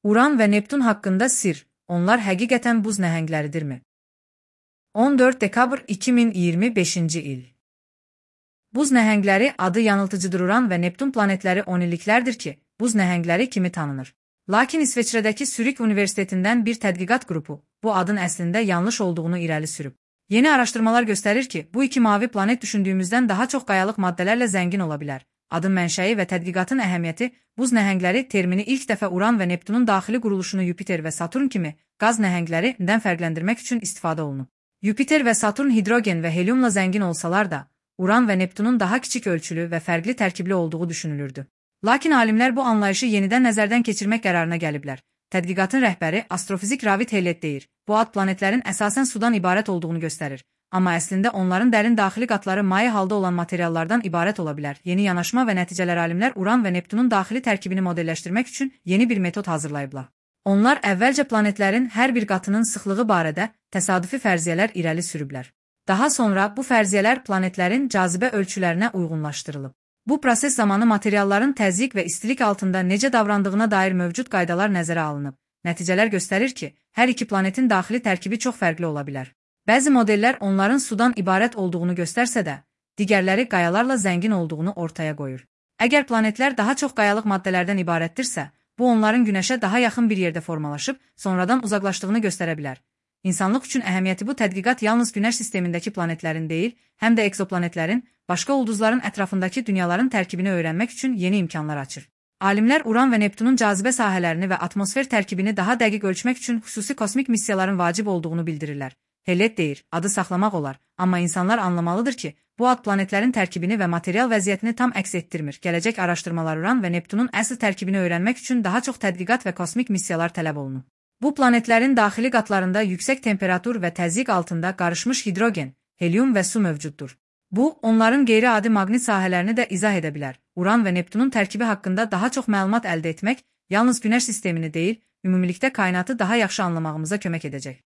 Uran və Neptun haqqında sir, onlar həqiqətən buz nəhəngləridirmi? 14 dekabr 2025-ci il. Buz nəhəngləri adı yanıltıcıdır. Uran və Neptun planetləri 10 illiklərdir ki, buz nəhəngləri kimi tanınır. Lakin İsveçrədəki Zürich Universitetindən bir tədqiqat qrupu bu adın əslində yanlış olduğunu irəli sürüb. Yeni araşdırmalar göstərir ki, bu iki mavi planet düşündüyümüzdən daha çox qayalıq maddələrlə zəngin ola bilər. Adın mənşəyi və tədqiqatın əhəmiyyəti, buz nəhəngləri termini ilk dəfə Uran və Neptunun daxili quruluşunu Yupiter və Saturn kimi qaz nəhənglərindən fərqləndirmək üçün istifadə olunub. Yupiter və Saturn hidrogen və heliumla zəngin olsalar da, Uran və Neptunun daha kiçik ölçülü və fərqli tərkibli olduğu düşünülürdü. Lakin alimlər bu anlayışı yenidən nəzərdən keçirmək qərarına gəliblər. Tədqiqatın rəhbəri astrofizik Ravid Hellet deyir, bu ad planetlərin əsasən sudan ibarət olduğunu göstərir. Amma əslində onların dərin daxili qatları maye halda olan materiallardan ibarət ola bilər. Yeni yanaşma və nəticələr alimlər Uran və Neptunun daxili tərkibini modelləşdirmək üçün yeni bir metod hazırlayıblar. Onlar əvvəlcə planetlərin hər bir qatının sıxlığı barədə təsadüfi fərziyyələr irəli sürüblər. Daha sonra bu fərziyyələr planetlərin cazibə ölçülərinə uyğunlaşdırılıb. Bu proses zamanı materialların təzyiq və istilik altında necə davrandığına dair mövcud qaydalar nəzərə alınıb. Nəticələr göstərir ki, hər iki planetin daxili tərkibi çox fərqli ola bilər. Bəzi modellər onların sudan ibarət olduğunu göstərsə də, digərləri qayalarla zəngin olduğunu ortaya qoyur. Əgər planetlər daha çox qayalıq maddələrdən ibarətdirsə, bu onların Günəşə daha yaxın bir yerdə formalaşıb, sonradan uzaqlaşdığını göstərə bilər. İnsanlıq üçün əhəmiyyəti bu tədqiqat yalnız Günəş sistemindəki planetlərin deyil, həm də ekzoplanetlərin, başqa ulduzların ətrafındakı dünyaların tərkibini öyrənmək üçün yeni imkanlar açır. Alimlər Uran və Neptunun cazibə sahələrini və atmosfer tərkibini daha dəqiq ölçmək üçün xüsusi kosmik missiyaların vacib olduğunu bildirirlər. Hellet deyir, adı saxlamaq olar, amma insanlar anlamalıdır ki, bu ad planetlərin tərkibini və material vəziyyətini tam əks etdirmir. Gələcək araşdırmalar Uran və Neptunun əsl tərkibini öyrənmək üçün daha çox tədqiqat və kosmik missiyalar tələb olunur. Bu planetlərin daxili qatlarında yüksək temperatur və təzyiq altında qarışmış hidrogen, helium və su mövcuddur. Bu, onların qeyri-adi maqnit sahələrini də izah edə bilər. Uran və Neptunun tərkibi haqqında daha çox məlumat əldə etmək, yalnız Günəş sistemini deyil, ümumilikdə kainatı daha yaxşı anlamağımıza kömək edəcək.